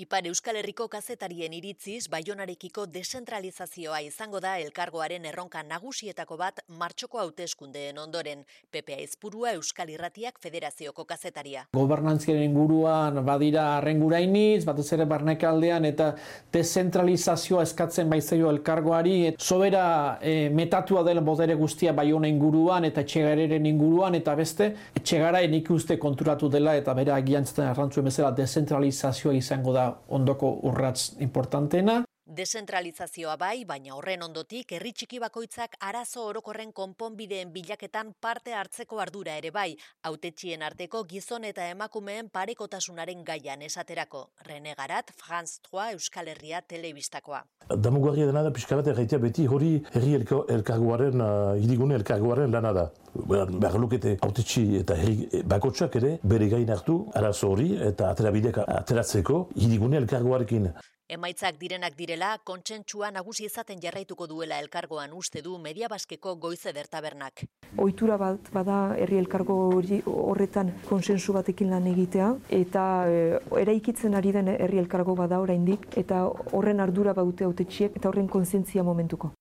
Ipar Euskal Herriko kazetarien iritziz, Baionarekiko deszentralizazioa izango da elkargoaren erronka nagusietako bat martxoko hauteskundeen ondoren. Pepe Aizpurua Euskal Irratiak Federazioko kazetaria. Gobernantziaren inguruan badira arrengurainiz, batez ere barnekaldean eta deszentralizazioa eskatzen baizaio elkargoari. Sobera metatua dela bodere guztia Baiona inguruan eta Etxegararen inguruan eta beste Etxegaraen ikuste konturatu dela eta bere agiantzen arrantzuen bezala deszentralizazioa izango da ondoko urrats importanteena. Deszentralizazioa bai, baina horren ondotik herri txiki bakoitzak arazo orokorren konponbideen bilaketan parte hartzeko ardura ere bai, hautetxien arteko gizon eta emakumeen parekotasunaren gaian esaterako. Rene Garat, France 3 Euskal Herria telebistakoa. Damugarria dena da pixka bat erraitea beti hori herri elkargoaren, hirigune elkargoaren lana da. Behar lukete hautetxi eta herri bakotsak ere bere gain hartu arazo hori eta aterabideak ateratzeko hirigune elkargoarekin. Emaitzak direnak direla, kontsentsua nagusi izaten jarraituko duela elkargoan uste du Mediabaskeko Goizeder tabernak. Ohitura bat bada herri elkargo horretan konsensu batekin lan egitea eta eraikitzen ari den herri elkargo bada oraindik eta horren ardura badute hautetxiek eta horren kontzientzia momentuko.